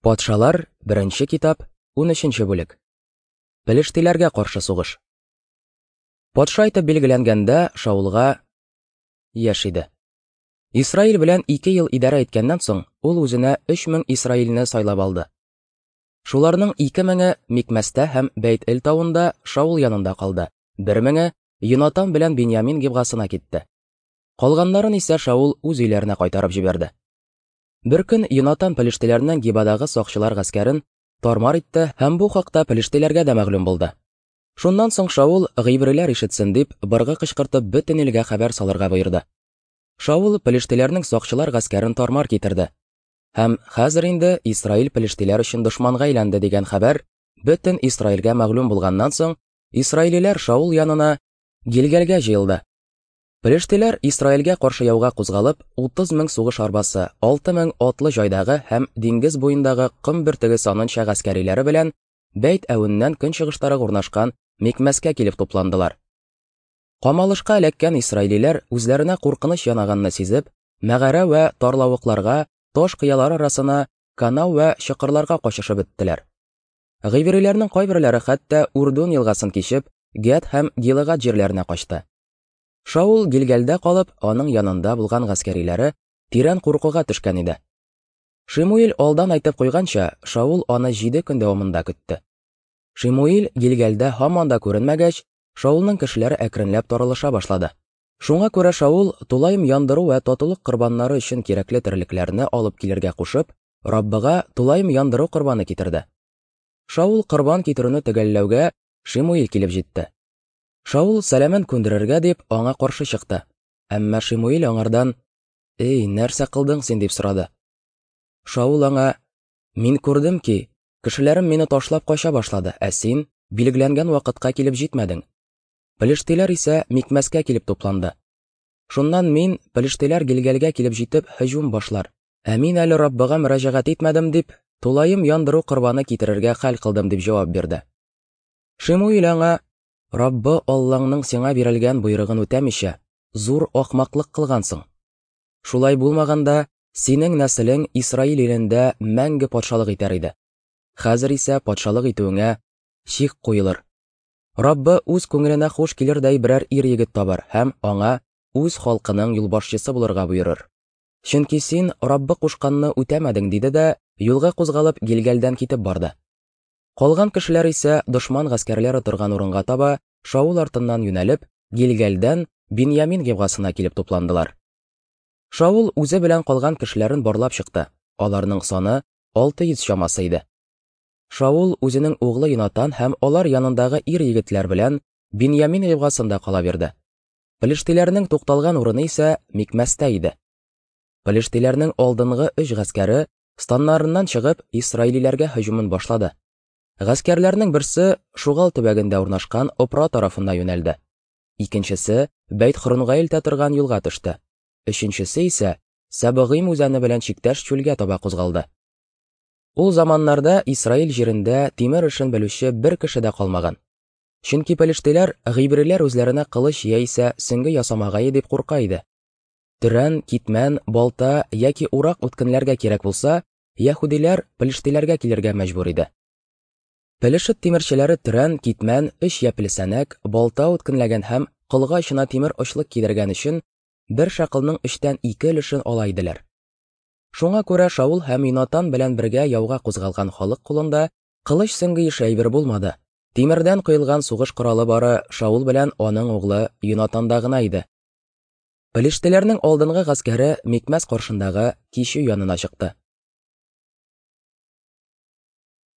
Патшалар, беренче китап, 13 бүлек. Пелештиләргә каршы сугыш. Патша итеп билгеләнгәндә Шаулга яшь иде. Исраил белән 2 ел идарә иткәннән соң, ул үзенә 3000 исраилне сайлап алды. Шуларның 2000-е Микмәстә һәм Бәйт-Эл тавында Шаул янында калды, 1000-е Йонатан белән Беньямин Гибгасына китте. Калганнарын исә Шаул үз өйләренә кайтарып җибәрде. Беркөн Йонатан пелештеләрнең Гибадагы сакчылар гаскәрен тармар итте һәм бу хакта пелештеләргә дә мәгълүм булды. Шуннан соң Шаул гыйбриләр ишетсен дип, быргы кычкыртып бөтен илгә хәбәр салырга боерды. Шаул пелештеләрнең сакчылар гаскәрен тармар китерде. Һәм хәзер инде Исраил пелештеләр өчен дошманга әйләнде дигән хәбәр бөтен Исраилгә мәгълүм булганнан соң, исраилиләр Шаул янына Гилгәлгә җыелды. Пелештиләр Исраилгә каршы яуга кузгалып, 30 мең сугыш арбасы, 6 мең атлы җайдагы һәм диңгез буендагы ком бөртеге санынча гаскәриләре белән Бәйт Әвеннән көнчыгыштарак урнашкан Микмәскә килеп тупландылар. Камалышка эләккән исраилиләр үзләренә куркыныч янаганны сизеп, мәгарә вә тарлавыкларга, таш кыялар арасына, канау вә чокырларга качышып беттеләр. Гыйбриләрнең кайберләре хәтта Урдун елгасын кичеп, Гәд һәм Гилыгад җирләренә качты. Шаул Гилгәлдә калып, аның янында булган гаскәриләре тирән куркуга төшкән иде. Шимуил алдан әйтеп куйганча, Шаул аны җиде көн дәвамында көтте. Шимуил Гилгәлдә һаман да күренмәгәч, Шаулның кешеләре әкренләп таралыша башлады. Шуңа күрә Шаул тулаем яндыру вә татулык корбаннары өчен кирәкле терлекләрне алып килергә кушып, Раббыга тулаем яндыру корбаны китерде. Шаул корбан китерүне төгәлләүгә Шимуил килеп җитте. Шаул сәламен күндерергә дип аңа каршы чыкты. Әмма Шимуил аңардан: "Эй, нәрсә кылдың син?" дип сорады. Шаул аңа: "Мин күрдем ки, кешеләрем мине ташлап кача башлады, ә син билгеләнгән вакытка килеп җитмәдең. Пелештиләр исә Микмәскә килеп тупланды. Шуннан мин, пелештиләр Гилгәлгә килеп җитеп, һөҗүм башлар. Ә мин әле Раббыга мөрәҗәгать итмәдем дип, тулаем яндыру корбаны китерергә хәл кылдым, дип җавап бирде. Шимуил аңа: Раббы Аллаңның сиңа бирелгән боерыгын үтәмичә, зур ахмаклык кылгансың. Шулай булмаганда, синең нәселең Исраил илендә мәңге патшалык итәр иде. Хәзер исә патшалык итүеңә чик куелыр. Раббы үз күңеленә хуш килердәй берәр ир-егет табар һәм аңа үз халкының юлбашчысы булырга боерыр. Чөнки син Раббы кушканны үтәмәдең, диде дә, юлга кузгалып, Гилгәлдән китеп барды. Калган кешеләр исә дошман гаскәрләре торган урынга таба Шаул артыннан юнәлеп, Гилгәлдән Биньямин Гибгасына килеп тупландылар. Шаул үзе белән калган кешеләрен барлап чыкты. Аларның саны 600 чамасы иде. Шаул үзенең углы Йонатан һәм алар янындагы ир-егетләр белән Биньямин Гибгасында кала бирде. Пелештиләрнең тукталган урыны исә Микмәстә иде. Пелештиләрнең алдынгы өч гаскәре станнарыннан чыгып, исраилиләргә һөҗүмен башлады. Гаскәрләрнең берсе Шугал төбәгендә урнашкан Опра тарафына юнәлде. Икенчесе Бәйт-Хөрунга илтә торган юлга төште. Өченчесе исә Сәбыгыйм үзәне белән чиктәш чүлгә таба кузгалды. Ул заманнарда Исраил җирендә тимер эшен белүче бер кеше дә калмаган. Чөнки пелештиләр гыйбриләр үзләренә кылыч яисә сөңге ясамагае дип курка иде. Төрән, китмән, балта яки урак үткенләргә кирәк булса, яһүдиләр пелештиләргә килергә мәҗбүр иде. Пелешет тимерчеләре төрән, китмән, өч япьле сәнәк, балта үткенләгән һәм колга очына тимер очлык кидергән өчен бер шакылның өчтән ике өлешен ала иделәр. Шуңа күрә Шаул һәм Йонатан белән бергә яуга кузгалган халык кулында кылыч сөңге ише әйбер булмады. Тимердән коелган сугыш коралы бары Шаул белән аның углы Йонатанда гына иде. Пелештеләрнең алдынгы гаскәре Микмәс каршындагы кичү янына чыкты.